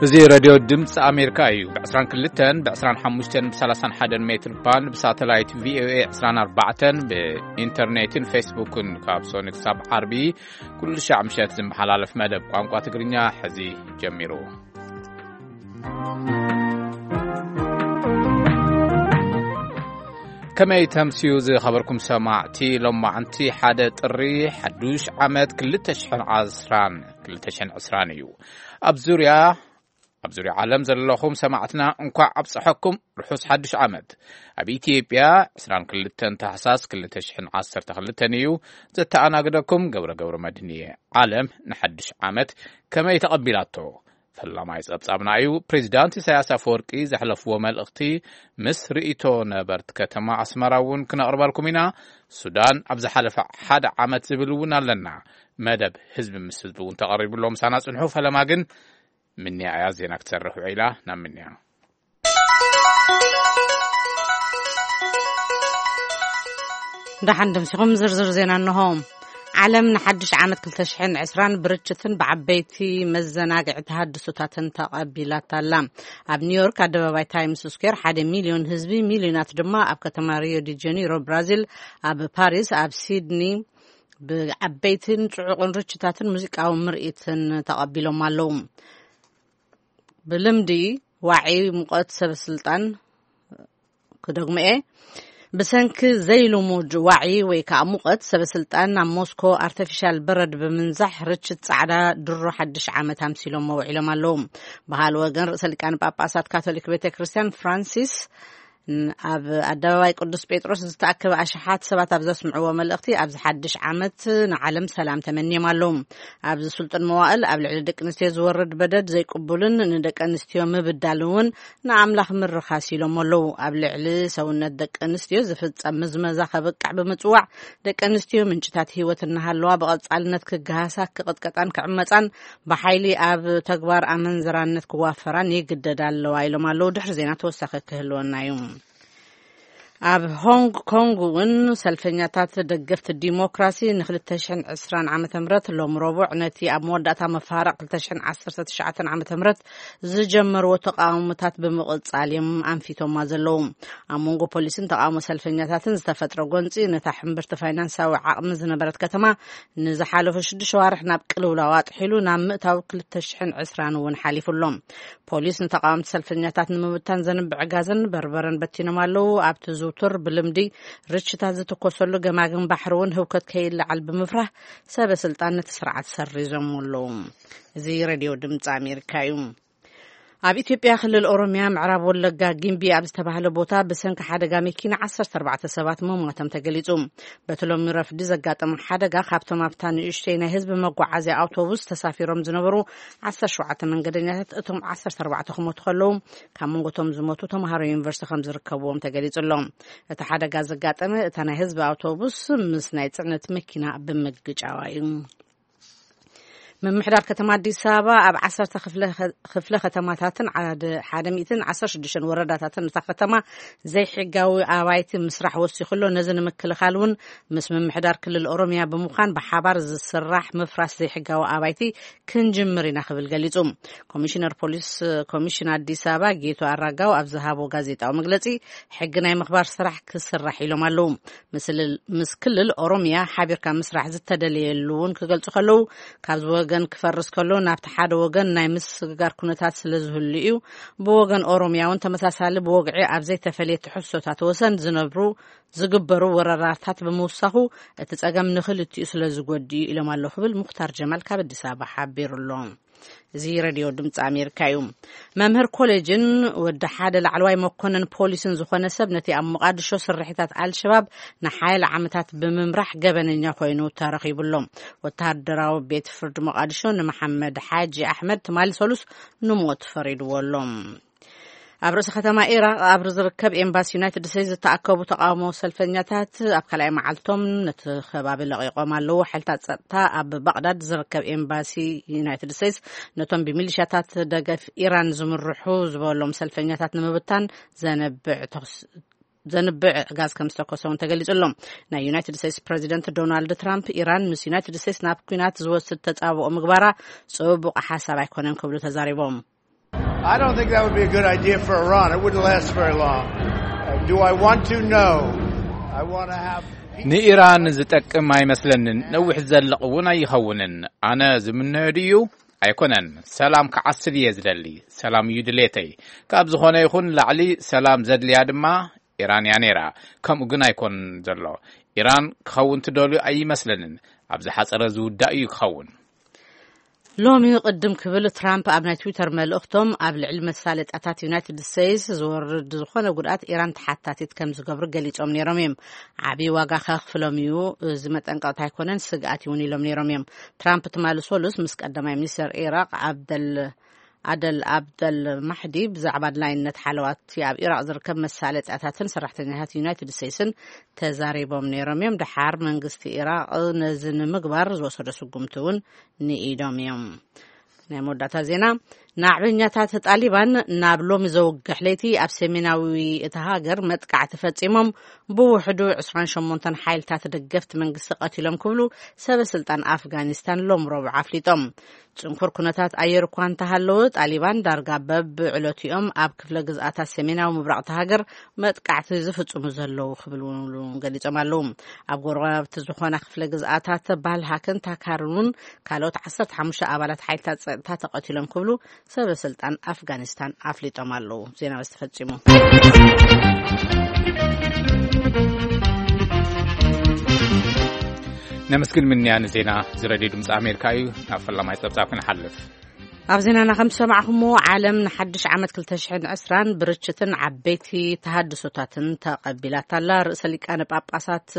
እዚ ሬድዮ ድምፂ ኣሜሪካ እዩ። ብ22፣ ብ25፣ ብ31 ሜትር ባንድ፣ ብሳተላይት ቪ ኦ ኤ 24፣ ብኢንተርኔትን ፌስቡክን ካብ ሶኒ ክሳብ ዓርቢ ኩሉ ሻዕ ምሸት ዝመሓላለፍ መደብ ቋንቋ ትግርኛ ሕዚ ጀሚሩ። ከመይ ተምስዩ ዝኸበርኩም ሰማዕቲ? ሎማዕንቲ ሓደ ጥሪ ሓዱሽ ዓመት ክልተ ሽሕን ዓስራን፣ ክልተ ሽሕን ዕስራን እዩ። ኣብ ዙርያ ኣብ ዙርያ ዓለም ዘለኹም ሰማዕትና እንኳዕ ኣብፀሐኩም ርሑስ ሓድሽ ዓመት። ኣብ ኢትዮጵያ 22 ታሕሳስ ክልተ ሽሕን ዓሰርተ ክልተን እዩ ዘተኣናግደኩም። ገብረ ገብረ መድህን እየ። ዓለም ንሓድሽ ዓመት ከመይ ተቐቢላቶ? ፈላማይ ጸብጻብና እዩ። ፕሬዚዳንት ኢሳያስ ኣፈወርቂ ዘሕለፍዎ መልእኽቲ ምስ ርእይቶ ነበርቲ ከተማ ኣስመራ እውን ክነቕርበልኩም ኢና። ሱዳን ኣብ ዝሓለፈ ሓደ ዓመት ዝብል እውን ኣለና። መደብ ህዝቢ ምስ ህዝቢ እውን ተቐሪቡ ኣሎ። ምሳና ጽንሑ። ፈለማ ግን ምንያ እያ ዜና ክትሰርሕ ውዒላ። ናብ ምንያ። ደሓን ደምሲኹም ዝርዝር ዜና እንሆ። ዓለም ንሓድሽ ዓመት ክልተ ሽሕን ዕስራን ብርችትን ብዓበይቲ መዘናግዒ ተሃድሶታትን ተቐቢላታ ኣላ። ኣብ ኒውዮርክ ኣደባባይ ታይምስ ስኩዌር ሓደ ሚልዮን ህዝቢ፣ ሚልዮናት ድማ ኣብ ከተማ ሪዮ ዲ ጀኒሮ ብራዚል፣ ኣብ ፓሪስ፣ ኣብ ሲድኒ ብዓበይትን ጽዑቕን ርችታትን ሙዚቃዊ ምርኢትን ተቐቢሎም ኣለዉ። ብልምዲ ዋዒ ሙቐት ሰበ ስልጣን ክደግሞ እየ። ብሰንኪ ዘይልሙድ ዋዒ ወይ ከዓ ሙቐት ሰበ ስልጣን ናብ ሞስኮ ኣርተፊሻል በረድ ብምንዛሕ ርችት ጻዕዳ ድሮ ሓድሽ ዓመት ኣምሲሎም መውዒሎም ኣለዉ። በሃል ወገን ርእሰ ሊቃነ ጳጳሳት ካቶሊክ ቤተ ክርስቲያን ፍራንሲስ ን-፣ ኣብ ኣደባባይ ቅዱስ ጴጥሮስ ዝተኣከበ ኣሽሓት ሰባት ኣብ ዘስምዕዎ መልእኽቲ፣ ኣብዚ ሓድሽ ዓመት ንዓለም ሰላም ተመንዮም ኣለዉ። ኣብዚ ስልጡን መዋእል ኣብ ልዕሊ ደቂ ኣንስትዮ ዝወርድ በደል ዘይቅቡልን ንደቂ ኣንስትዮ ምብዳል እውን ንኣምላኽ ምርኻስ ኢሎም ኣለዉ። ኣብ ልዕሊ ሰውነት ደቂ ኣንስትዮ ዝፍጸም ምዝመዛ ከብቅዕ ብምጽዋዕ፣ ደቂ ኣንስትዮ ምንጭታት ህይወት እናሃለዋ ብቐጻልነት ክገሃሳ፣ ክቕጥቀጣን ክዕመጻን፣ ብሓይሊ ኣብ ተግባር ኣመንዝራነት ክዋፈራን ይግደዳ ኣለዋ ኢሎም ኣለዉ። ድሕሪ ዜና ተወሳኺ ክህልወና እዩ። ኣብ ሆንግ ኮንግ እውን ሰልፈኛታት ደገፍቲ ዲሞክራሲ ን2020 ዓመተ ምህረት ሎም ረቡዕ ነቲ ኣብ መወዳእታ መፋርቕ 2019 ዓመተ ምህረት ዝጀመርዎ ተቃውሞታት ብምቕጻል እዮም ኣንፊቶማ ዘለዉ። ኣብ መንጎ ፖሊስን ተቃውሞ ሰልፈኛታትን ዝተፈጥረ ጎንጺ ነታ ሕምብርቲ ፋይናንሳዊ ዓቕሚ ዝነበረት ከተማ ንዝሓለፉ ሽዱሽተ ዋርሕ ናብ ቅልውላው ኣጥሒሉ ናብ ምእታው ክልተ ሽሕን ዕስራን እውን ሓሊፉ ኣሎ። ፖሊስ ንተቃወምቲ ሰልፈኛታት ንምብታን ዘንብዕ ጋዝን በርበረን በቲኖም ኣለዉ። ኣብቲ ዝውቱር ብልምዲ ርችታት ዝትኮሰሉ ገማግም ባሕሪ እውን ህውከት ከይለዓል ብምፍራህ ሰበ ስልጣን ነቲ ስርዓት ሰሪዞም ኣለዉ። እዚ ሬድዮ ድምፂ ኣሜሪካ እዩ። ኣብ ኢትዮጵያ ክልል ኦሮሚያ ምዕራብ ወለጋ ጊምቢ ኣብ ዝተባህለ ቦታ ብሰንኪ ሓደጋ መኪና ዓሰርተ ኣርባዕተ ሰባት ምሟቶም ተገሊጹ። በቲ ሎሚ ረፍዲ ዘጋጠመ ሓደጋ ካብቶም ኣብታ ንእሽተይ ናይ ህዝቢ መጓዓዝያ ኣውቶቡስ ተሳፊሮም ዝነበሩ ዓሰርተ ሸውዓተ መንገደኛታት እቶም ዓሰርተ ኣርባዕተ ክሞቱ ከለዉ፣ ካብ መንጎቶም ዝሞቱ ተምሃሮ ዩኒቨርሲቲ ከም ዝርከብዎም ተገሊጹ ኣሎ። እቲ ሓደጋ ዘጋጠመ እታ ናይ ህዝቢ ኣውቶቡስ ምስ ናይ ጽዕነት መኪና ብምግጫዋ እዩ። ምምሕዳር ከተማ ኣዲስ ኣበባ ኣብ ዓሰርተ ክፍለ፣ ክፍለ ከተማታትን ሓደ፣ ሓደ ሚእትን ዓሰርተ ሽዱሽተን ወረዳታትን እታ ከተማ ዘይሕጋዊ ኣባይቲ ምስራሕ ወሲኹ ኣሎ። ነዚ ንምክልኻል እውን ምስ ምምሕዳር ክልል ኦሮሚያ ብምዃን ብሓባር ዝስራሕ ምፍራስ ዘይሕጋዊ ኣባይቲ ክንጅምር ኢና ክብል ገሊጹ። ኮሚሽነር ፖሊስ ኮሚሽን ኣዲስ ኣበባ ጌቱ ኣራጋው ኣብ ዝሃቦ ጋዜጣዊ መግለጺ፣ ሕጊ ናይ ምኽባር ስራሕ ክስራሕ ኢሎም ኣለዉ። ምስል-፣ ምስ ክልል ኦሮሚያ ሓቢርካ ምስራሕ ዝተደለየሉ እውን ክገልጹ ከለዉ፣ ካብዚ ወገን ክፈርስ ከሎ ናብቲ ሓደ ወገን ናይ ምስግጋር ኩነታት ስለ ዝህሉ እዩ። ብወገን ኦሮሚያ እውን ተመሳሳሊ ብወግዒ ኣብ ዘይተፈለየ ትሕዝቶታት ወሰን ዝነብሩ፣ ዝግበሩ ወረራታት ብምውሳኹ እቲ ጸገም ንኽልቲኡ ስለ ዝጎድእ እዩ ኢሎም ኣለዉ ክብል ሙኽታር ጀማል ካብ ኣዲስ ኣበባ ሓቢሩ ኣሎ። እዚ ሬድዮ ድምፂ ኣሜሪካ እዩ። መምህር ኮሌጅን ወዲ ሓደ ላዕለዋይ መኮንን ፖሊስን ዝኾነ ሰብ ነቲ ኣብ ሞቃድሾ ስርሒታት ኣልሸባብ ንሓያለ ዓመታት ብምምራሕ ገበነኛ ኮይኑ ተረኺቡ ኣሎ። ወተሃደራዊ ቤት ፍርዲ ሞቃድሾ ንመሓመድ ሓጂ ኣሕመድ ትማሊ ሰሉስ ንሞት ፈሪድዎ ኣሎ። ኣብ ርእሲ ከተማ ኢራቕ ኣብ ዝርከብ ኤምባሲ ዩናይትድ ስቴትስ ዝተኣከቡ ተቃውሞ ሰልፈኛታት ኣብ ካልኣይ መዓልቶም ነቲ ከባቢ ለቒቖም ኣለዉ። ሓይልታት ጸጥታ ኣብ ባቕዳድ ዝርከብ ኤምባሲ ዩናይትድ ስቴትስ ነቶም ብሚሊሻታት ደገፍ ኢራን ዝምርሑ ዝበሎም ሰልፈኛታት ንምብታን ዘንብዕ ተኹስ-፣ ዘንብዕ ጋዝ ከም ዝተኮሰ እውን ተገሊጹ ኣሎ። ናይ ዩናይትድ ስቴትስ ፕሬዚደንት ዶናልድ ትራምፕ፣ ኢራን ምስ ዩናይትድ ስቴትስ ናብ ኲናት ዝወስድ ተጻብኦ ምግባራ ጽቡቕ ሓሳብ ኣይኮነን ክብሉ ተዛሪቦም። I don't think that would be a good idea for Iran. It wouldn't last very long. Uh, do I want to? No. I want to have. ንኢራን ዝጠቅም ኣይመስለንን። ነዊሕ ዝዘልቕ እውን ኣይኸውንን። ኣነ ዝምነዮ ድዩ? ኣይኮነን። ሰላም ክዓስል እየ ዝደሊ። ሰላም እዩ ድሌተይ። ካብ ዝኾነ ይኹን ላዕሊ ሰላም ዘድልያ ድማ ኢራን እያ ነይራ። ከምኡ ግን ኣይኮን ዘሎ። ኢራን ክኸውን ትደልዩ ኣይመስለንን። ኣብ ዝሓጸረ ዝውዳእ እዩ ክኸውን። ሎሚ ቅድም ክብል ትራምፕ ኣብ ናይ ትዊተር መልእኽቶም ኣብ ልዕሊ መሳለጥያታት ዩናይትድ ስቴትስ ዝወርድ ዝኾነ ጉድኣት ኢራን ተሓታቲት ከም ዝገብሩ ገሊጾም ነይሮም እዮም። ዓብዪ ዋጋ ከኽፍሎም እዩ፣ እዚ መጠንቀቕታ ኣይኮነን፣ ስግኣት እውን ኢሎም ነይሮም እዮም። ትራምፕ ትማሊ ሰሉስ ምስ ቀዳማይ ሚኒስተር ኢራቅ ዓብደል ኣደል ኣብደል ማሕዲ ብዛዕባ ኣድላይነት ሓለዋት ኣብ ኢራቅ ዝርከብ መሳለጥያታትን ሰራሕተኛታት ዩናይትድ ስቴትስን ተዛሪቦም ነይሮም እዮም። ደሓር መንግስቲ ኢራቅ ነዚ ንምግባር ዝወሰዶ ስጉምቲ እውን ንኢዶም እዮም። ናይ መወዳእታ ዜና፣ ናዕበኛታት ጣሊባን ናብ ሎሚ ዘውግሕ ለይቲ ኣብ ሰሜናዊ እታ ሃገር መጥቃዕቲ ፈጺሞም ብውሕዱ ዕስራን ሸሞንተን ሓይልታት ደገፍቲ መንግስቲ ቀቲሎም ክብሉ ሰበ ስልጣን ኣፍጋኒስታን ሎም ረቡዕ ኣፍሊጦም። ጽንኩር ኩነታት ኣየር እኳ እንተሃለወ፣ ጣሊባን ዳርጋ በብዕለቱ እዮም ኣብ ክፍለ ግዝኣታት ሰሜናዊ ምብራቕ እታ ሃገር መጥቃዕቲ ዝፍጽሙ ዘለዉ ክብሉ እውን ገሊጾም ኣለዉ። ኣብ ጎረባብቲ ዝኾና ክፍለ ግዝኣታት ባልሃክን ታካርን እውን ካልኦት ዓሰርተ ሓሙሽተ ኣባላት ሓይልታት ጸጥታ ተቐቲሎም ክብሉ ሰበ ስልጣን ኣፍጋኒስታን ኣፍሊጦም ኣለዉ። ዜና በዚ ተፈጺሙ። ነመስግን ምንያ ንዜና ዝረድዮ ድምፂ ኣሜሪካ እዩ። ናብ ፈላማይ ፀብፃብ ክንሓልፍ። ኣብ ዜናና ከም ዝሰማዕኹምዎ፣ ዓለም ንሓድሽ ዓመት ክልተ ሽሕን ዕስራን ብርችትን ዓበይቲ ተሃድሶታትን ተቐቢላታ ኣላ። ርእሰ ሊቃነ ጳጳሳት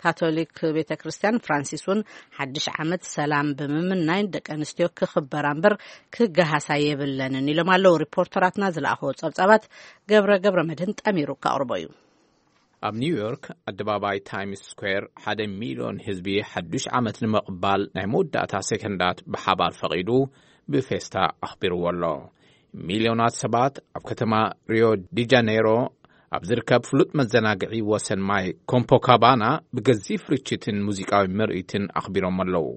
ካቶሊክ ቤተ ክርስቲያን ፍራንሲስ እውን ሓድሽ ዓመት ሰላም ብምምናይ ደቂ ኣንስትዮ ክኽበራ እምበር ክገሃሳ የብለንን ኢሎም ኣለዉ። ሪፖርተራትና ዝለኣኽዎ ጸብጻባት ገብረ ገብረ መድህን ጠሚሩ ከቕርቦ እዩ። ኣብ ኒውዮርክ ኣደባባይ ታይምስ ስኩዌር ሓደ ሚልዮን ህዝቢ ሓዱሽ ዓመት ንምቕባል ናይ መወዳእታ ሴከንዳት ብሓባር ፈቒዱ ብፌስታ ኣኽቢርዎ ኣሎ። ሚልዮናት ሰባት ኣብ ከተማ ሪዮ ዲ ጃነይሮ ኣብ ዝርከብ ፍሉጥ መዘናግዒ ወሰን ማይ ኮምፖካባና ብገዚፍ ርችትን ሙዚቃዊ ምርኢትን ኣኽቢሮም ኣለዉ።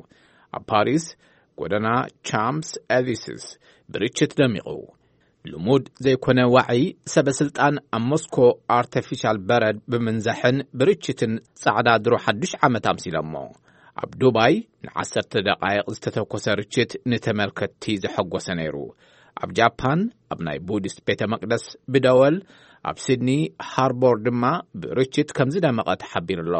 ኣብ ፓሪስ ጎደና ቻምፕስ ኤሊስስ ብርችት ደሚቑ። ልሙድ ዘይኮነ ዋዒ ሰበ ስልጣን ኣብ ሞስኮ ኣርተፊሻል በረድ ብምንዛሕን ብርችትን ጻዕዳ ድሮ ሓዱሽ ዓመት ኣምሲሎሞ። ኣብ ዱባይ ንዓሰርተ ደቓይቕ ዝተተኮሰ ርችት ንተመልከትቲ ዘሐጎሰ ነይሩ። ኣብ ጃፓን ኣብ ናይ ቡዲስት ቤተ መቅደስ ብደወል፣ ኣብ ሲድኒ ሃርቦር ድማ ብርችት ከም ዝደመቐ ተሓቢሩ ኣሎ።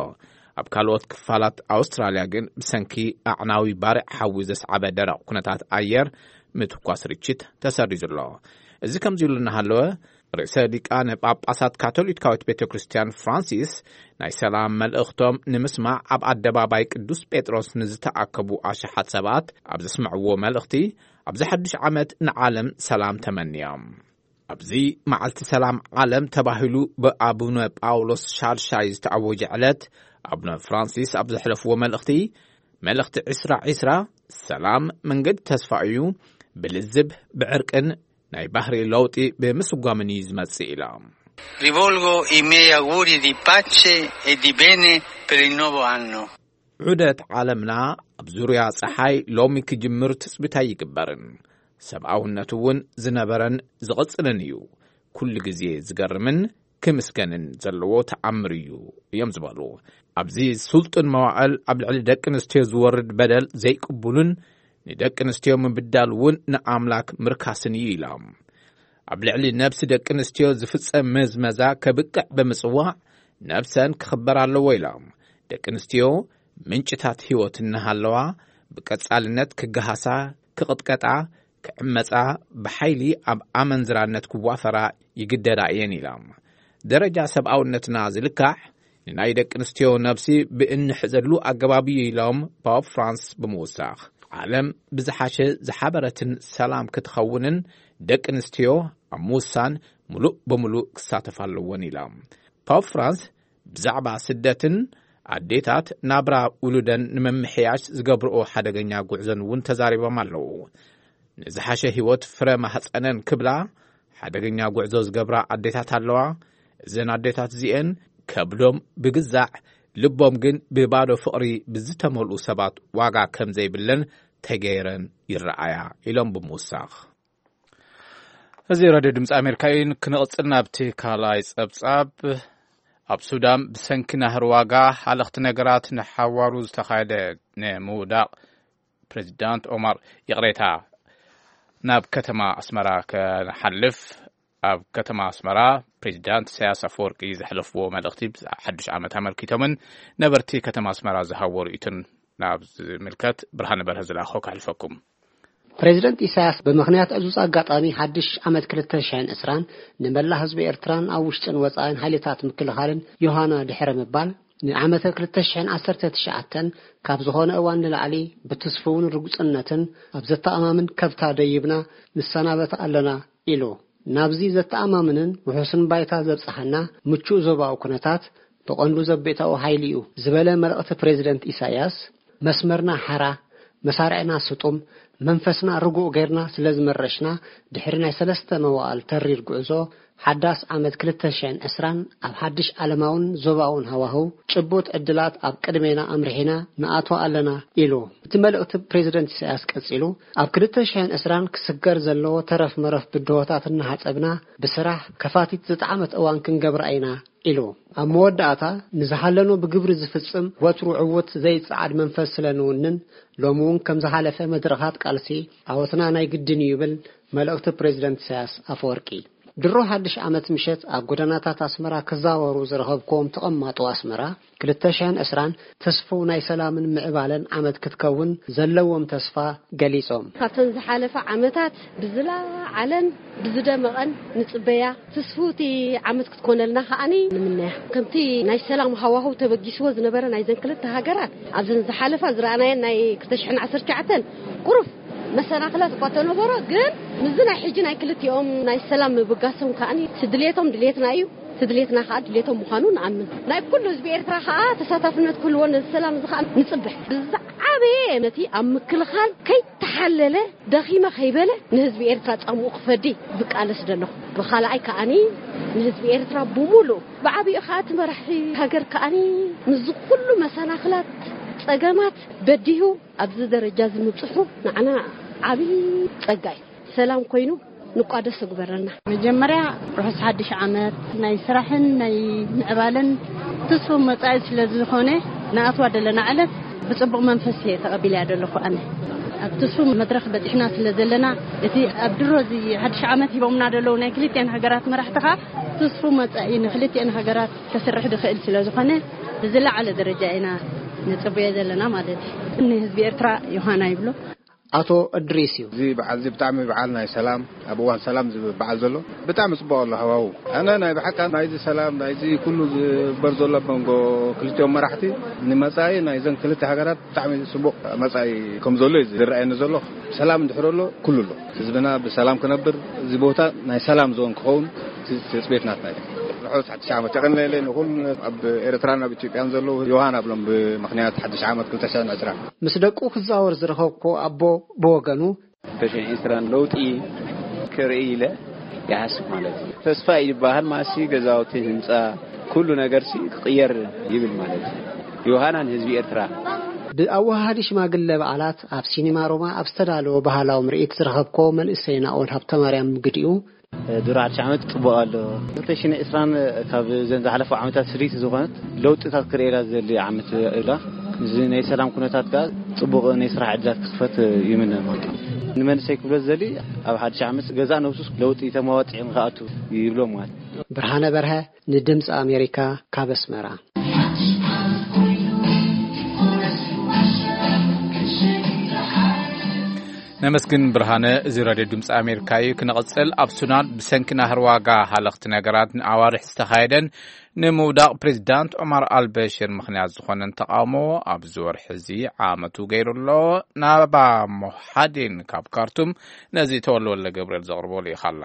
ኣብ ካልኦት ክፋላት ኣውስትራልያ ግን ብሰንኪ ኣዕናዊ ባርዕ ሓዊ ዘስዓበ ደረቕ ኩነታት ኣየር ምትኳስ ርችት ተሰሪዙ ኣሎ። እዚ ከምዚ ኢሉ እናሃለወ፣ ርእሰ ሊቃነ ጳጳሳት ካቶሊካዊት ቤተ ክርስቲያን ፍራንሲስ ናይ ሰላም መልእኽቶም ንምስማዕ ኣብ ኣደባባይ ቅዱስ ጴጥሮስ ንዝተኣከቡ ኣሽሓት ሰባት ኣብ ዘስምዕዎ መልእኽቲ፣ ኣብዚ ሓድሽ ዓመት ንዓለም ሰላም ተመንዮም። ኣብዚ መዓልቲ ሰላም ዓለም ተባሂሉ ብኣቡነ ጳውሎስ ሻልሻይ ዝተኣወጀ ዕለት፣ ኣቡነ ፍራንሲስ ኣብ ዘሕለፍዎ መልእኽቲ፣ መልእኽቲ ዕስራ ዕስራ፣ ሰላም መንገዲ ተስፋ እዩ፣ ብልዝብ፣ ብዕርቅን ናይ ባህሪ ለውጢ ብምስጓምን እዩ ዝመጽእ ኢሎም። Rivolgo i miei auguri di pace e di bene per il nuovo anno. ዑደት ዓለምና ኣብ ዙርያ ጸሓይ ሎሚ ክጅምር ትጽቢት ኣይግበርን። ሰብኣውነት እውን ዝነበረን ዝቕጽልን እዩ። ኩሉ ግዜ ዝገርምን ክምስገንን ዘለዎ ተኣምር እዩ እዮም ዝበሉ። ኣብዚ ስልጡን መዋዕል ኣብ ልዕሊ ደቂ ኣንስትዮ ዝወርድ በደል ዘይቅቡልን ንደቂ ኣንስትዮ ምብዳል እውን ንኣምላክ ምርካስን እዩ ኢሎም። ኣብ ልዕሊ ነብሲ ደቂ ኣንስትዮ ዝፍጸም ምዝመዛ ከብቅዕ ብምጽዋዕ ነብሰን ክኽበር ኣለዎ ኢሎም። ደቂ ኣንስትዮ ምንጭታት ህይወት እናሃለዋ ብቀጻልነት ክገሃሳ፣ ክቕጥቀጣ፣ ክዕመጻ፣ ብሓይሊ ኣብ ኣመንዝራነት ክዋፈራ ይግደዳ እየን ኢሎም። ደረጃ ሰብኣውነትና ዝልካዕ ንናይ ደቂ ኣንስትዮ ነብሲ ብእንሕዘሉ ኣገባብ እዩ ኢሎም ፖፕ ፍራንስ ብምውሳኽ፣ ዓለም ብዝሓሸ ዝሓበረትን ሰላም ክትኸውንን ደቂ ኣንስትዮ ኣብ ምውሳን ምሉእ ብምሉእ ክሳተፋ ኣለወን ኢሎም። ፖፕ ፍራንስ ብዛዕባ ስደትን ኣዴታት ናብራ ውሉደን ንምምሕያሽ ዝገብርኦ ሓደገኛ ጉዕዞን እውን ተዛሪቦም ኣለዉ። ንዝሓሸ ህይወት ፍረ ማህፀነን ክብላ ሓደገኛ ጉዕዞ ዝገብራ ኣዴታት ኣለዋ። እዘን ኣዴታት እዚኤን ከብዶም ብግዛዕ ልቦም ግን ብባዶ ፍቕሪ ብዝተመልኡ ሰባት ዋጋ ከም ዘይብለን ተገይረን ይረኣያ ኢሎም ብምውሳኽ። እዚ ራድዮ ድምፂ ኣሜሪካ እዩ። ክንቕፅል ናብቲ ካልኣይ ፀብፃብ። ኣብ ሱዳን ብሰንኪ ናህሪ ዋጋ ሃለኽቲ ነገራት ንሓዋሩ ዝተኻየደ ንምውዳቕ ፕሬዚዳንት ኦማር፣ ይቕሬታ፣ ናብ ከተማ ኣስመራ ከንሓልፍ፣ ኣብ ከተማ ኣስመራ ፕሬዚዳንት ኢሳያስ ኣፈወርቂ ዘሕለፍዎ መልእኽቲ ሓዱሽ ዓመት ኣመልኪቶምን ነበርቲ ከተማ ኣስመራ ዝሃብዎ ርእይቶን ናብ ዝምልከት ብርሃነ በርሀ ዝለኣኾ ከሕልፈኩም። ፕሬዚደንት ኢሳያስ ብምኽንያት ዕዙዝ ኣጋጣሚ ሓድሽ ዓመት ክልተ ሽሕን ዕስራን ንመላእ ህዝቢ ኤርትራን ኣብ ውሽጥን ወጻኢን ሓይልታት ምክልኻልን ዮሃና ድሕሪ ምባል፣ ንዓመተ ክልተ ሽሕን ዓሰርተ ትሽዓተን ካብ ዝኾነ እዋን ንላዕሊ ብትስፉውን ርጉጽነትን ኣብ ዘተኣማምን ከብታ ደይብና ንሰናበት ኣለና ኢሉ። ናብዚ ዘተኣማምንን ውሑስን ባይታ ዘብጽሓና ምቹእ ዞባዊ ኩነታት ብቐንዱ ዘቤታዊ ሓይሊ እዩ ዝበለ መልእኽቲ ፕሬዚደንት ኢሳያስ፣ መስመርና ሓራ፣ መሳርዕና ስጡም፣ መንፈስና ርጉእ ጌርና ስለ ዝመረሽና፣ ድሕሪ ናይ ሰለስተ መዋእል ተሪር ጉዕዞ፣ ሓዳስ ዓመት ክልተ ሽሕን ዕስራን ኣብ ሓድሽ ዓለማውን ዞባውን ሃዋህው ጭቡጥ ዕድላት ኣብ ቅድሜና ኣምሪሒና ንኣትዎ ኣለና ኢሉ። እቲ መልእኽቲ ፕሬዚደንት ኢሳያስ ቀጺሉ፣ ኣብ ክልተ ሽሕን ዕስራን ክስገር ዘለዎ ተረፍ መረፍ ብድሆታት እናሓጸብና ብስራሕ ከፋቲት ዝጠዓመት እዋን ክንገብራ ኢና ኢሉ። ኣብ መወዳእታ፣ ንዝሃለኖ ብግብሪ ዝፍጽም ወትሩ ዕዉት ዘይጸዓድ መንፈስ ስለ ንውንን፣ ሎሚ እውን ከም ዝሓለፈ መድረኻት ቃልሲ ዓወትና ናይ ግድን እዩ ይብል መልእኽቲ ፕሬዚደንት ኢሳያስ ኣፈወርቂ። ድሮ ሓድሽ ዓመት ምሸት ኣብ ጎደናታት ኣስመራ ክዛወሩ ዝረኸብክዎም ተቐማጦ ኣስመራ፣ ክልተ ሽሕን ዕስራን ተስፍው ናይ ሰላምን ምዕባለን ዓመት ክትከውን ዘለዎም ተስፋ ገሊጾም። ካብተን ዝሓለፋ ዓመታት ብዝለዓለን ብዝደመቐን ንጽበያ፣ ትስፉውቲ ዓመት ክትኮነልና ከኣኒ ንምነያ። ከምቲ ናይ ሰላም ሃዋህው ተበጊስዎ ዝነበረ ናይዘን ክልተ ሃገራት፣ ኣብዘን ዝሓለፋ ዝረኣናየን ናይ ክልተ ሽሕን ዓሰርተ ትሽዓተን ቁሩብ መሰናኽላት እኳ ተነበሮ፣ ግን ምስዚ ናይ ሕጂ ናይ ክልቲኦም ናይ ሰላም ምብጋሶም ከኣኒ፣ እቲ ድሌቶም ድሌትና እዩ፣ እቲ ድሌትና ከኣ ድሌቶም ምዃኑ ንኣምን። ናይ ኩሉ ህዝቢ ኤርትራ ከኣ ተሳታፍነት ክህልዎ፣ ነዚ ሰላም እዚ ከኣ ንጽበ። ብዝዓበየ ነቲ ኣብ ምክልኻል ከይተሓለለ፣ ደኺመ ከይበለ፣ ንህዝቢ ኤርትራ ጻምኡ ክፈዲ ዝቃለስ ዘለኹ። ብኻልኣይ ከኣኒ፣ ንህዝቢ ኤርትራ ብምሉእ፣ ብዓቢኡ ከኣ እቲ መራሒ ሃገር ከኣኒ፣ ምስዚ ኩሉ መሰናኽላት፣ ጸገማት በዲሁ ኣብዚ ደረጃ እዚ ምብጽሑ ንዓና ዓቢ ጸጋ እዩ። ሰላም ኮይኑ ንቋደስ ይግበረና። መጀመርያ፣ ርሑስ ሓድሽ ዓመት፣ ናይ ስራሕን ናይ ምዕባለን ትስፉው መጻኢ ስለ ዝኾነ፣ ንኣትዋ ደለና ዕለት ብጽቡቕ መንፈስ እየ ተቐቢለያ ዘለኹ። ኣነ ኣብ ትስፉው መድረኽ በጺሕና ስለ ዘለና፣ እቲ ኣብ ድሮ እዚ ሓድሽ ዓመት ሂቦምና ዘለዉ ናይ ክልቲኣን ሃገራት መራሕቲ ኸኣ ትስፉው መጻኢ ንክልቲኣን ሃገራት ከስርሕ ዝኽእል ስለ ዝኾነ፣ ብዝለዓለ ደረጃ ኢና ንጽበዮ ዘለና ማለት እዩ። ንህዝቢ ኤርትራ ዮሃና ይብሎ። ኣቶ እድሪስ እዩ። እዚ በዓል እዚ ብጣዕሚ በዓል ናይ ሰላም፣ ኣብ እዋን ሰላም ዝብል በዓል ዘሎ ብጣዕሚ ጽቡቕ ኣሎ ሃዋሁ። ኣነ ናይ ብሓቂ ናይዚ ሰላም፣ ናይዚ ኩሉ ዝግበር ዘሎ ኣብ መንጎ ክልቲኦም መራሕቲ ንመጻኢ ናይዘን ክልተ ሃገራት ብጣዕሚ ጽቡቕ መጻኢ ከም ዘሎ እዩ ዝረኣየኒ ዘሎ። ሰላም እንድሕር ኣሎ ኩሉ ኣሎ። ህዝብና ብሰላም ክነብር፣ እዚ ቦታ ናይ ሰላም ዞን ክኸውን ትጽቢት ናትና እዩ። ርሑስ ሓድሽ ዓመት የቐንየለይ ንኹሉ ኣብ ኤርትራን ኣብ ኢትዮጵያን ዘለዉ ዮሃና ብሎም ብምኽንያት ሓድሽ ዓመት ክልተ ሽሕን ዕስራን። ምስ ደቁ ክዛወር ዝረኸብኩ ኣቦ ብወገኑ፣ ተሽዒ ዕስራን ለውጢ ክርኢ ኢለ ይሓስብ ማለት እዩ። ተስፋ እዩ ዝበሃል ማሲ ገዛውቲ ህንፃ ኩሉ ነገርሲ ክቕየር ይብል ማለት እዩ። ዮሃና ንህዝቢ ኤርትራ። ብኣወሃሃዲ ሽማግለ በዓላት ኣብ ሲኒማ ሮማ ኣብ ዝተዳለወ ባህላዊ ምርኢት ዝረኸብኮ መንእሰይ ናኦል ሃብተማርያም ግዲኡ፣ ድሮ ሓድሽ ዓመት ጽቡቕ ኣሎ። ክልተ ሽሕን ዕስራን ካብ ዘን ዝሓለፉ ዓመታት ፍልይቲ ዝኾነት ለውጥታት ክርእየላ ዝደሊ ዓመት እላ። እዚ ናይ ሰላም ኩነታት ከኣ ጽቡቕ ናይ ስራሕ ዕድላት ክኽፈት ይምነ ማለት እዩ። ንመንእሰይ ክብሎ ዝደሊ ኣብ ሓድሽ ዓመት ገዛእ ነብሱስ ለውጢ ተመዋጺዑ ንኽኣቱ ይብሎ ማለት እዩ። ብርሃነ በርሀ ንድምፂ ኣሜሪካ ካብ ኣስመራ። ነመስግን ብርሃነ። እዚ ራድዮ ድምፂ ኣሜሪካ እዩ። ክንቕፅል፣ ኣብ ሱዳን ብሰንኪ ናህሪ ዋጋ ሃለኽቲ ነገራት ንኣዋርሕ ዝተኻየደን ንምውዳቕ ፕሬዚዳንት ዑማር ኣልበሽር ምኽንያት ዝኾነን ተቓውሞ ኣብዚ ወርሒ እዚ ዓመቱ ገይሩ ኣሎ። ናባ ሞሓዲን ካብ ካርቱም ነዚ ተወልወለ ገብርኤል ዘቕርቦ ልኢኻላ።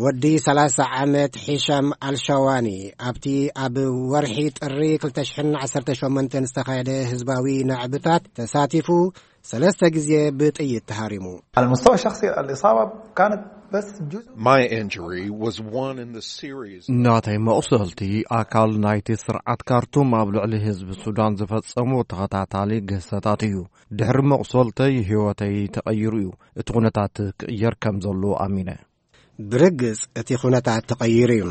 ወዲ ሰላሳ ዓመት ሒሻም ኣልሻዋኒ ኣብቲ ኣብ ወርሒ ጥሪ ክልተ ሽሕን ዓሰርተ ሸሞንተን ዝተኻየደ ህዝባዊ ናዕብታት ተሳቲፉ ሰለስተ ግዜ ብጥይት ተሃሪሙ። على المستوى الشخصي الإصابة كانت بس جزء. My injury was one in the series. ናተይ መቑሰልቲ ኣካል ናይቲ ስርዓት ካርቱም ኣብ ልዕሊ ህዝቢ ሱዳን ዝፈጸሞ ተኸታታሊ ግህሰታት እዩ። ድሕሪ መቑሰልተይ ህይወተይ ተቐይሩ እዩ። እቲ ኩነታት ክቕየር ከም ዘሎ ኣሚነ። ብርግጽ እቲ ኩነታት ተቐይሩ እዩ።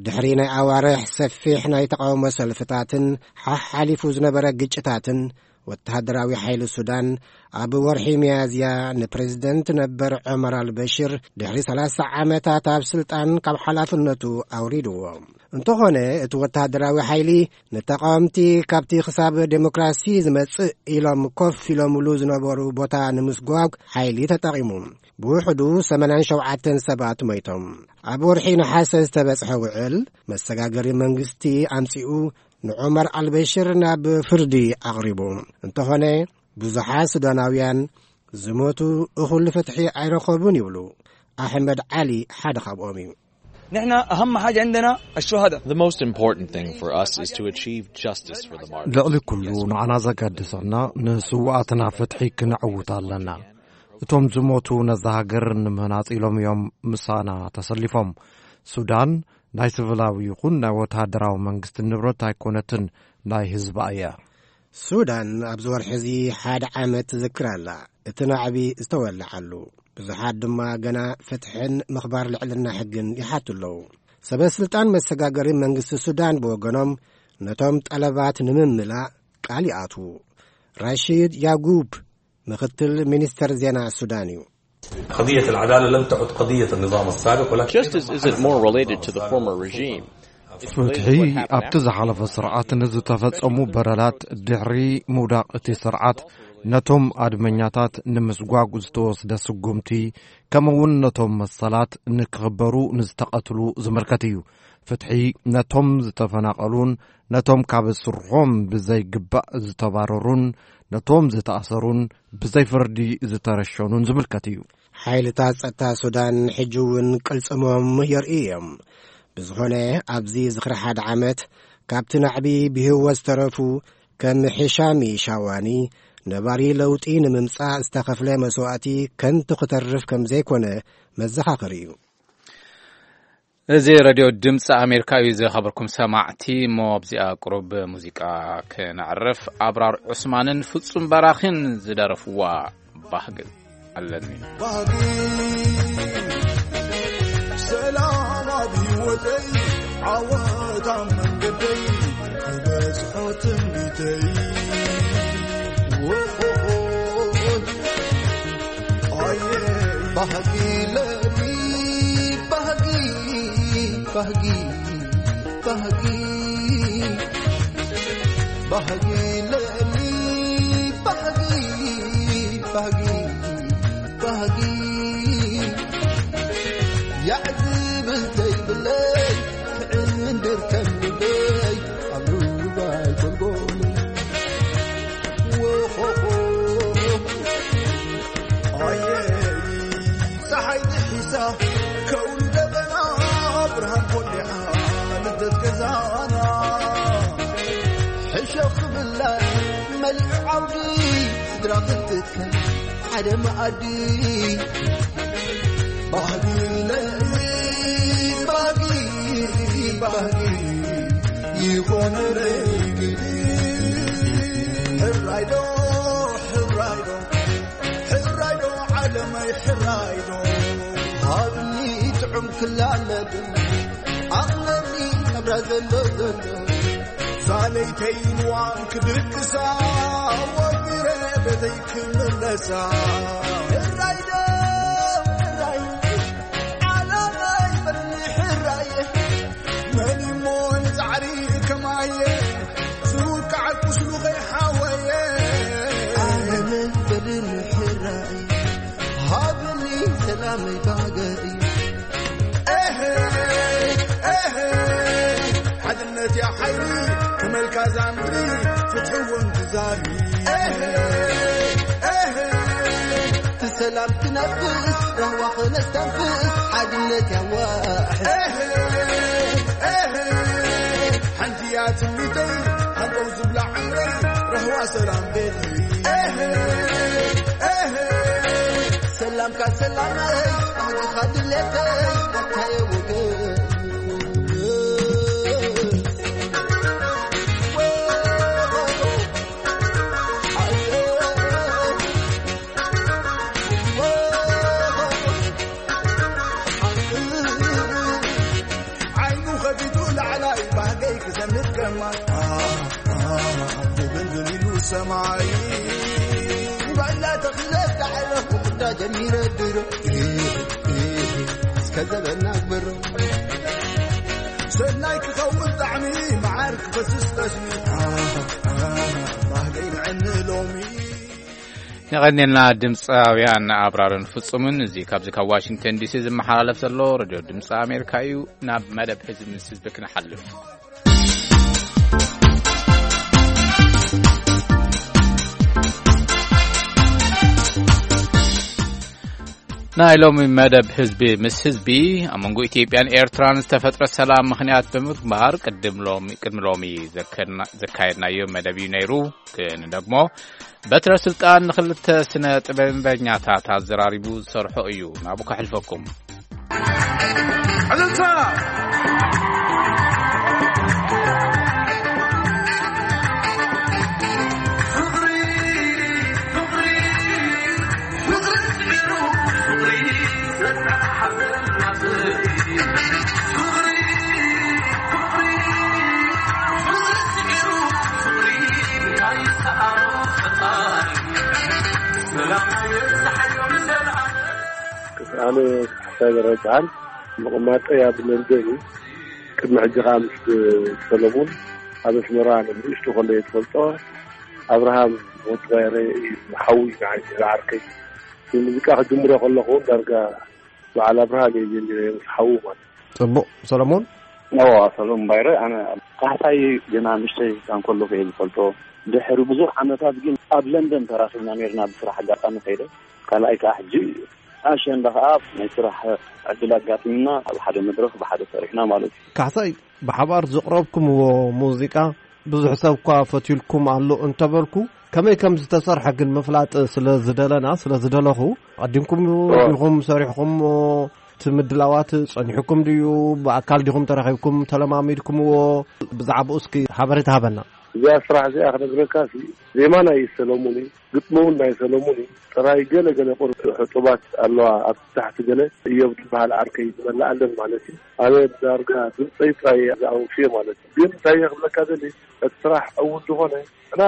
ድሕሪ ናይ ኣዋርሕ ሰፊሕ ናይ ተቓውሞ ሰልፍታትን ሓሓሊፉ ዝነበረ ግጭታትን፣ ወተሃደራዊ ሓይሊ ሱዳን ኣብ ወርሒ ሚያዝያ ንፕሬዝደንት ነበር ዑመር ኣልበሽር ድሕሪ ሰላሳ ዓመታት ኣብ ስልጣን ካብ ሓላፍነቱ ኣውሪድዎ። እንተኾነ እቲ ወተሃደራዊ ሓይሊ ንተቓወምቲ ካብቲ ክሳብ ዴሞክራሲ ዝመጽእ ኢሎም ኮፍ ኢሎምሉ ዝነበሩ ቦታ ንምስጓግ ሓይሊ ተጠቒሙ። ብውሕዱ ሰማንያን ሸውዓተን ሰባት ሞይቶም። ኣብ ወርሒ ነሓሰ ዝተበጽሐ ውዕል መሰጋገሪ መንግስቲ ኣምጺኡ ንዑመር ኣልበሽር ናብ ፍርዲ ኣቕሪቡ። እንተኾነ ብዙሓት ሱዳናውያን ዝሞቱ እኹል ፍትሒ ኣይረኸቡን ይብሉ። ኣሕመድ ዓሊ ሓደ ካብኦም እዩ። نحن أهم حاجة عندنا الشهداء. The most important thing for us is to achieve justice for the martyrs. ልዕሊ ኩሉ ንዓና ዘገድሰና ንስውኣትና ፍትሒ ክነዕውት ኣለና። እቶም ዝሞቱ ነዛ ሃገር ንምህናጽ ኢሎም እዮም ምሳና ተሰሊፎም። ሱዳን ናይ ስቪላዊ ይኹን ናይ ወተሃደራዊ መንግስቲ ንብረት ኣይኮነትን፣ ናይ ህዝባ እያ። ሱዳን ኣብዚ ወርሒ እዚ ሓደ ዓመት ትዝክር ኣላ። እቲ ናዕቢ ዝተወልዓሉ፣ ብዙሓት ድማ ገና ፍትሕን ምኽባር ልዕልና ሕግን ይሓቱ ኣለዉ። ሰበ ስልጣን መሰጋገሪ መንግስቲ ሱዳን ብወገኖም ነቶም ጠለባት ንምምላእ ቃል ይኣትዉ። ራሺድ ያጉብ ምኽትል ሚኒስተር ዜና ሱዳን እዩ። قضية العدالة لم تعد قضية النظام السابق ولكن Justice isn't more related to the former regime. ፍትሒ ኣብቲ ዝሓለፈ ስርዓት ንዝተፈጸሙ በደላት ድሕሪ ምውዳቕ እቲ ስርዓት ነቶም ኣድመኛታት ንምስጓግ ዝተወስደ ስጉምቲ፣ ከምኡውን ነቶም መሰላት ንክኽበሩ ንዝተቐትሉ ዝምልከት እዩ። ፍትሒ ነቶም ዝተፈናቐሉን ነቶም ካብ ስርሖም ብዘይግባእ ዝተባረሩን ነቶም ዝተኣሰሩን ብዘይ ፍርዲ ዝተረሸኑን ዝምልከት እዩ። ሓይልታት ጸጥታ ሱዳን ሕጂ እውን ቅልጽሞም የርእዩ እዮም። ብዝኾነ ኣብዚ ዝኽሪ ሓደ ዓመት ካብቲ ናዕቢ ብህይወት ዝተረፉ ከም ሒሻሚ ሻዋኒ ነባሪ ለውጢ ንምምጻእ ዝተኸፍለ መስዋእቲ ከንቱ ክተርፍ ከም ዘይኮነ መዘኻኸሪ እዩ። እዚ ሬድዮ ድምፂ ኣሜሪካ እዩ። ዝኸበርኩም ሰማዕቲ፣ እሞ ኣብዚኣ ቁሩብ ሙዚቃ ክነዕርፍ። ኣብራር ዑስማንን ፍጹም በራኺን ዝደረፍዋ ባህጊ ኣለኒ። ሰላም ኣብ ህይወተይ፣ ዓወት ኣብ መንገደይ፣ ክበጽሖ ትምኒተይ። ኣየ ባህጊ ለኒ፣ ባህጊ፣ ባህጊ፣ ባህጊ፣ ባህጊ ለኒ፣ ባህጊ፣ ባህጊ፣ ባህጊ። ያዕ ዝብል ዘይብለይ፣ ክዕንድር ከም ልበይ፣ ኣብ ሩባይ ጎልጎል። ወኾኾ። ኣየ፣ ጸሓይ ጥሒሳ፣ ከውሊ ደበና፣ ብርሃን ኮሊዓ፣ ልደት ገዛና። ሕሸኽ ክብላ፣ መሊዑ ዓውዲ፣ ስድራ ክትትከል፣ ሓደ መኣዲ። ባህጊ ለኒ፣ ባህጊ፣ ባህጊ፣ ይኾነለይ ግዲ። ሕራይዶ፣ ሕራይዶ፣ ሕራይዶ ዓለመይ ሕራይዶ። ሃብኒ ጥዑም ክላለብን ኣኽለኒ ናብራ ዘሎ ዘሎ። ሳለይተይ ንዋን ክድቅሳ ወዲረ ቤተይ ክምለሳ። ሕራይዶ፣ ሕራይ ዓለመይ በልኒ ሕራየ። መን እሞ ንጻዕሪ ከማየ ዝውቃዕ ቁስሉ ከይሓወየ። ኣነ በልኒ ሕራይ ሃብኒ ሰላመይ ባገይ። ኤሄ፣ ኤሄ፣ ሓድነት ያ ሓይሊ ክመልካ ዛምሪ ፍትሕውን ትዛሪ። ኤሄ፣ ኤሄ፣ ትሰላም ትነፍስ ራህዋ ክነስተንፍስ ሓድነት ያዋሕስ። ኤሄ፣ ኤሄ፣ ሓንቲ እያ ትምኒተይ ሃንቀው ዝብላ ዕምረይ ራህዋ ሰላም ቤተይ። ኤሄ፣ ኤሄ፣ ሰላምካ ሰላመይ ባህግኻ ድሌተይ ኣታየ ወገን። ሰማይ ባላ ተኽለ ዳዕረ ክዳ ጀሚረ ድሮ እስከ ዘበና ግብሮ ሰናይ ክኸውን ጣዕሚ መዓር ክፈስስ ጠስሚ ባህገይ ንዕኒ ሎሚ። የቐንየልና ድምፃውያን ኣብራርን ፍጹምን። እዚ ካብዚ ካብ ዋሽንግተን ዲሲ ዝመሓላለፍ ዘሎ ሬድዮ ድምፂ ኣሜሪካ እዩ። ናብ መደብ ህዝቢ ምስ ህዝቢ ክንሓልፍ። ናይ ሎሚ መደብ ህዝቢ ምስ ህዝቢ ኣብ መንጎ ኢትዮጵያን ኤርትራን ዝተፈጥረ ሰላም ምኽንያት ብምግባር ቅድም ሎሚ ቅድሚ ሎሚ ዘከድና- ዘካየድናዮ መደብ እዩ ነይሩ። ክንደግሞ በትረ ስልጣን ንኽልተ ስነ ጥበበኛታት ኣዘራሪቡ ዝሰርሖ እዩ። ናብኡ ከሕልፈኩም። ኣነ ካሕሳይ በረቃን ምቕማጠይ ኣብ ለንደን እዩ። ቅድሚ ሕጂ ከዓ ምስ ሰለሙን ኣብ ኣስመራ ንእሽቶ ከሎ እየ ዝፈልጦ። ኣብርሃም ወዲ ባይረ እዩ ሓዊ ንዓይ ዝዓርከይ። ሙዚቃ ክጅምሮ ከለኹ እውን ዳርጋ በዓል ኣብርሃም እየ ጀሚረ ምስ ሓዉ ማለት እዩ። ጽቡቕ ሰለሞን። ኦ ሰሎም ባይረ ኣነ ካሕሳይ ገና ንእሽተይ ህፃን ከለኹ እየ ዝፈልጦ። ድሕሪ ብዙሕ ዓመታት ግን ኣብ ለንደን ተራኺብና ነርና ብስራሕ ኣጋጣሚ ከይደ። ካልኣይ ከዓ ሕጂ ኣሸንዳ ከዓ ናይ ስራሕ ዕድል ኣጋጢምና ኣብ ሓደ መድረኽ ብሓደ ሰሪሕና ማለት እዩ። ካሕሳይ ብሓባር ዘቕረብኩምዎ ሙዚቃ ብዙሕ ሰብ እኳ ፈትዩልኩም ኣሎ እንተበልኩ፣ ከመይ ከም ዝተሰርሐ ግን ምፍላጥ ስለ ዝደለና፣ ስለ ዝደለኹ፣ ኣቐዲምኩም ዲኹም ሰሪሕኹምዎ? እቲ ምድላዋት ጸኒሑኩም ድዩ? ብኣካል ዲኹም ተራኺብኩም ተለማሚድኩምዎ? ብዛዕባኡ እስኪ ሓበሬታ ሃበና። እዚኣ ስራሕ እዚኣ ክነግረካ ሲ ዜማ ናይ ሰለሙን እዩ፣ ግጥሚ እውን ናይ ሰለሙን እዩ። ጥራይ ገለ ገለ ቁር ሕጡባት ኣለዋ ኣብ ታሕቲ ገለ እዮብ ዝበሃል ዓርከይ ዝበላ ኣለን ማለት እዩ። ኣነ ዳርጋ ድምፀይ ጥራይ ኣውፍየ ማለት እዩ። ግን እንታይ እየ ክብለካ ደሊ እቲ ስራሕ ዕዉት ዝኾነ እና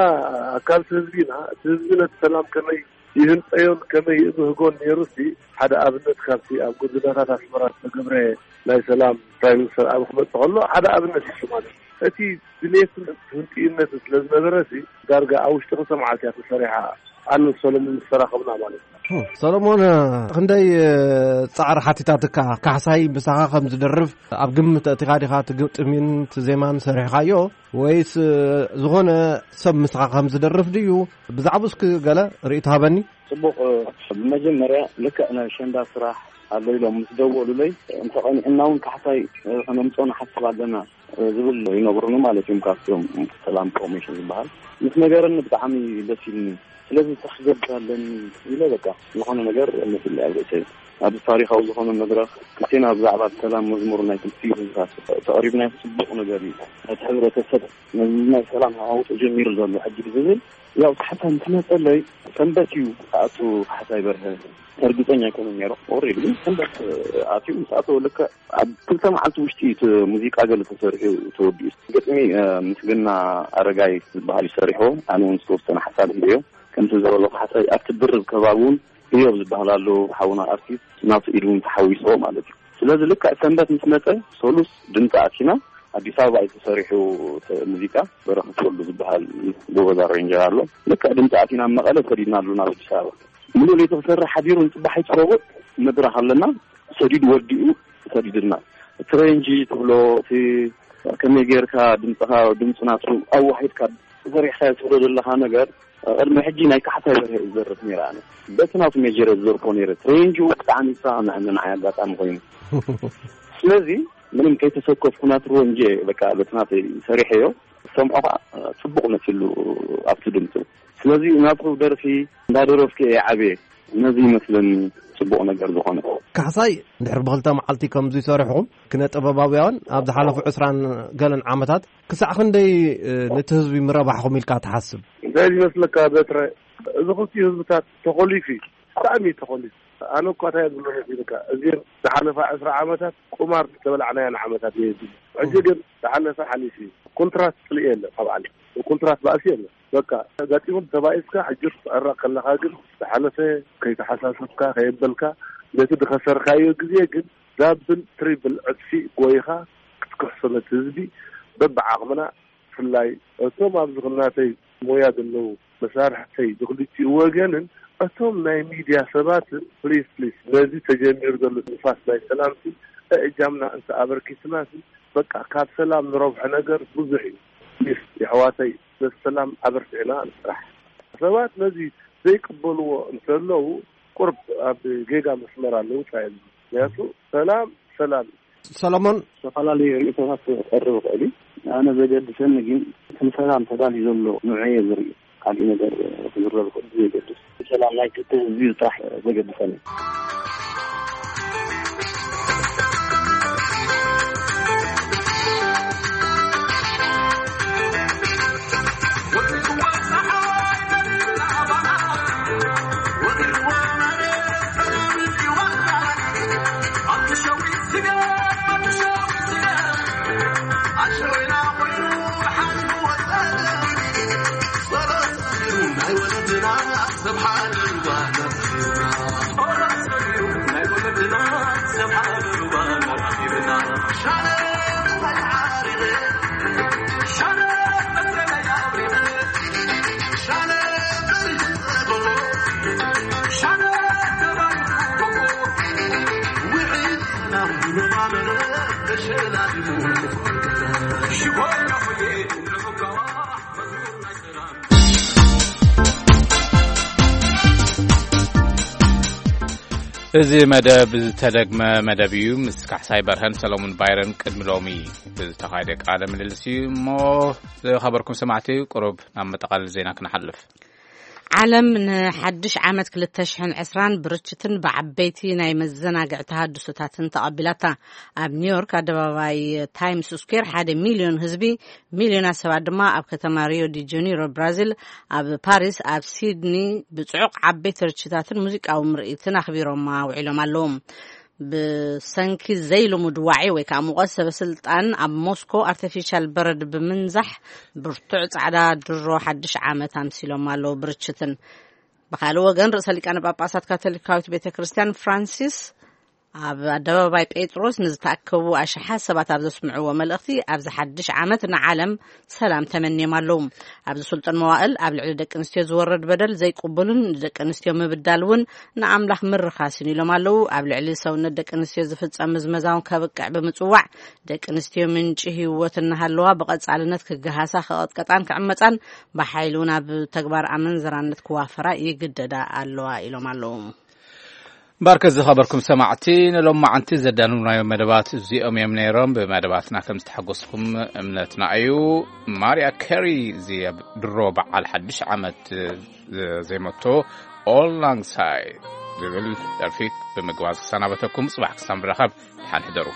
ኣካልቲ ህዝቢ ኢና። እቲ ህዝቢ ነቲ ሰላም ከመይ ይህንፀዮን ከመይ ይእብህጎን ነይሩ ሲ ሓደ ኣብነት ካብቲ ኣብ ጎደናታት ኣስመራ ዝተገብረ ናይ ሰላም ፕራይም ሚኒስተር ኣብ ክመፅእ ከሎ ሓደ ኣብነት እዩ ማለት እዩ። እቲ ድሌትን ህንጥዩነትን ስለ ዝነበረ ሲ ዳርጋ ኣብ ውሽጢ ክልተ መዓልቲ እያ ተሰሪሓ። ኣነ ሰሎሞን ምስ ተራኸብና ማለት እዩ። ሰሎሞን ክንደይ ጻዕሪ ሓቲታትካ ካሕሳይ ምሳኻ ከም ዝደርፍ ኣብ ግምት ኣእቲኻ ዲኻ እቲ ግጥሚን እቲ ዜማን ሰሪሕኻዮ ወይስ ዝኾነ ሰብ ምሳኻ ከም ዝደርፍ ድዩ? ብዛዕባኡ እስኪ ገለ ርእይቶ ሃበኒ። ጽቡቕ። ብመጀመርያ ልክዕ ናይ ኣሸንዳ ስራሕ ኣሎ ኢሎም ምስ ደወሉለይ እንተቐኒዕና እውን ካሕሳይ ከነምፅኦ ንሓስብ ኣለና ዝብል ይነግሩኒ ማለት እዮም ካብቶም ሰላም ኮሚሽን ዝበሃል ምስ ነገረኒ ብጣዕሚ ደስ ኢልኒ። ስለዚ ስራሕ ክገብር ኣለኒ ኢለ በቃ ዝኾነ ነገር መሲለይ ኣብ ርእሰይ ኣብዚ ታሪኻዊ ዝኾነ መድረኽ ክልቴና ብዛዕባ ሰላም መዝሙር ናይ ክልቲኡ ህዝብታት ተቕሪብናዮ ጽቡቕ ነገር እዩ። ነቲ ሕብረተሰብ ነዚ ናይ ሰላም ሃዋህው ተጀሚሩ ዘሎ ሕጂ ዝብል ያው ካሕሳይ ምስ መጸለይ ሰንበት እዩ ክኣቱ ካሕሳይ በርሀ እርግጸኛ ኣይኮነን ነይሩ። ኦሬዲ ግን ሰንበት ኣትዩ ምስ ኣተወ ልክዕ ኣብ ክልተ መዓልቲ ውሽጢ እዩ እቲ ሙዚቃ ገለ ተሰሪሑ ተወዲኡ። ግጥሚ ምስግና ኣረጋይ ዝበሃል እዩ ሰሪሕዎ። ኣነ እውን ዝተወሰነ ሓሳብ ሂበዮ። ከምቲ ዝበሎ ካሕሳይ ኣብቲ ድርብ ከባቢ እውን ህዮብ ዝበሃል ኣሎ ሓውና ኣርቲስት ናቱ ኢድ እውን ተሓዊስዎ ማለት እዩ። ስለዚ ልክዕ ሰንበት ምስ መጸ ሰሉስ ድምፂ ኣቲና ኣዲስ ኣበባ እዩ ተሰሪሑ እቲ ሙዚቃ። በረኸት ወልዱ ዝበሃል ጎበዝ ኣሬንጀር ኣሎ። ልክዕ ድምፂ ኣቲና ኣብ መቐለ ሰዲድናሉ ናብ ኣዲስ ኣበባ። ሙሉእ ለይቲ ክሰርሕ ሓዲሩ ንፅባሕ ይፅረቦ መድረኽ ኣለና ሰዲዱ ወዲኡ ሰዲድና። እቲ ሬንጂ ትብሎ እቲ ከመይ ጌርካ ድምፅኻ ድምፂ ናቱ ኣዋሂድካ ተሰሪሕካ ትብሎ ዘለኻ ነገር ቅድሚ ሕጂ ናይ ካሕሳይ በርሀ እዩ ዝደርፍ ነይረ። ኣነ በቲ ናቱ ሜጀር ዝደርፎ ነይረ። ሬንጂ ብጣዕሚ ይሰማምዐኒ ንዓይ ኣጋጣሚ ኮይኑ ስለዚ ምንም ከይተሰከፍኩ ናቱ ሬንጂ በቃ በቲ ናተይ ሰሪሐዮ። ሰምዖ ከዓ ፅቡቕ መፂሉ ኣብቲ ድምፁ። ስለዚ ናቱ ደርፊ እንዳደረፍኩ እየ ዓብየ። ነዚ ይመስለኒ ፅቡቕ ነገር ዝኾነ። ካሕሳይ ድሕሪ ብክልተ መዓልቲ ከምዚ ይሰርሕኹም ክነ ጥበባውያን ኣብ ዝሓለፉ ዕስራን ገለን ዓመታት ክሳዕ ክንደይ ነቲ ህዝቢ ምረባሕኹም ኢልካ ትሓስብ? እንታይ ዝመስለካ በትረ፣ እዚ ክልቲኡ ህዝብታት ተኾሊፉ እዩ፣ ብጣዕሚ እዩ ተኾሊፉ። ኣነ እኳ እንታይ ዝብሎ መሲልካ፣ እዚን ዝሓለፋ ዕስራ ዓመታት ቁማር ዝተበላዕናየን ዓመታት እየ ዝብል። ሕጂ ግን ዝሓለፈ ሓሊፉ እዩ። ኮንትራት ፅልኢ የለ፣ ካብ ዓለም ኮንትራት ባእሲ የለ። በቃ፣ ኣጋጢሙን ተባኢስካ ሕጂ ክትዕረቕ ከለኻ ግን ዝሓለፈ ከይተሓሳሰብካ ከየበልካ፣ ነቲ ዝኸሰርካዮ ግዜ ግን ዳብል ትሪብል ዕጽፊ ጎይኻ ክትክሕሶ ነቲ ህዝቢ በብዓቕምና፣ ብፍላይ እቶም ኣብዚ ናተይ ሞያ ዘለዉ መሳርሕተይ ብክልቲኡ ወገንን እቶም ናይ ሚድያ ሰባትን፣ ፕሊስ፣ ፕሊስ፣ ነዚ ተጀሚሩ ዘሎ ንፋስ ናይ ሰላምሲ እእጃምና እንተ ኣበርኪትና፣ በቃ፣ ካብ ሰላም ንረብሖ ነገር ብዙሕ እዩ። ፕሊስ፣ የሕዋተይ፣ ነቲ ሰላም ኣበርቲዕና ንስራሕ። ሰባት ነዚ ዘይቅበልዎ እንተለዉ፣ ቁርብ ኣብ ጌጋ መስመር ኣለዉ፣ ጻ የለን። ምክንያቱ ሰላም፣ ሰላም። ሰሎሞን፣ ዝተፈላለዩ ርእይቶታት ክቐርብ ይኽእል እዩ። ኣነ ዘገድሰኒ ግን እቲ ንሰላም ተዳልዩ ዘሎ ንዑ እየ ዝርኢ። ካልእ ነገር ክዝረብ ይኽእል፣ ዘይገድስ። ሰላም ናይ ክልተ ህዝቢ ጥራሕ ዘገድሰኒ። እዚ መደብ ዝተደግመ መደብ እዩ። ምስ ካሕሳይ በርሀን ሰለሙን ባይረን ቅድሚ ሎሚ ዝተኻየደ ቃለ ምልልስ እዩ። እሞ ዝኸበርኩም ሰማዕቲ፣ ቁሩብ ናብ መጠቓለሊ ዜና ክንሓልፍ። ዓለም ንሓድሽ ዓመት ክልተ ሽሕን ዕስራን ብርችትን ብዓበይቲ ናይ መዘናግዒ ተሃድሶታትን ተቐቢላታ። ኣብ ኒውዮርክ ኣደባባይ ታይምስ ስኩዌር ሓደ ሚልዮን ህዝቢ፣ ሚልዮናት ሰባት ድማ ኣብ ከተማ ሪዮ ዲ ጀኒሮ ብራዚል፣ ኣብ ፓሪስ፣ ኣብ ሲድኒ ብጽዑቕ ዓበይቲ ርችታትን ሙዚቃዊ ምርኢትን ኣኽቢሮማ ውዒሎም ኣለዉ። ብሰንኪ ዘይልሙድ ዋዒ ወይ ከዓ ሙቐት፣ ሰበስልጣን ኣብ ሞስኮ ኣርቲፊሻል በረድ ብምንዛሕ ብርቱዕ ጻዕዳ ድሮ ሓድሽ ዓመት ኣምሲሎም ኣለዉ ብርችትን። ብኻልእ ወገን፣ ርእሰ ሊቃነ ጳጳሳት ካቶሊካዊት ቤተ ክርስቲያን ፍራንሲስ ኣብ ኣደባባይ ጴጥሮስ ንዝተኣከቡ ኣሽሓት ሰባት ኣብ ዘስምዕዎ መልእኽቲ፣ ኣብዚ ሓድሽ ዓመት ንዓለም ሰላም ተመንዮም ኣለዉ። ኣብዚ ስልጡን መዋእል ኣብ ልዕሊ ደቂ ኣንስትዮ ዝወርድ በደል ዘይቅቡልን ንደቂ ኣንስትዮ ምብዳል እውን ንኣምላኽ ምርኻስን ኢሎም ኣለዉ። ኣብ ልዕሊ ሰውነት ደቂ ኣንስትዮ ዝፍጸም ምዝመዛ እውን ከብቅዕ ብምጽዋዕ፣ ደቂ ኣንስትዮ ምንጪ ህይወት እናሃለዋ ብቐጻልነት ክገሃሳ፣ ክቐጥቀጣን ክዕመጻን፣ ብሓይሊ እውን ኣብ ተግባር ኣመንዝራነት ክዋፈራ ይግደዳ ኣለዋ ኢሎም ኣለዉ። እምበኣርከ ዝኸበርኩም ሰማዕቲ፣ ንሎማዓንቲ ዘዳለውናዮም መደባት እዚኦም እዮም ነይሮም። ብመደባትና ከም ዝተሓጎስኩም እምነትና እዩ። ማርያ ካሪ እዚ ኣብ ድሮ በዓል ሓድሽ ዓመት ዘዜመቶ ኦል ላንግ ሳይ ዝብል ደርፊ ብምግባዝ ክሰናበተኩም፣ ጽባሕ ክሳብ ንራኸብ ድሓን ሕደሩ።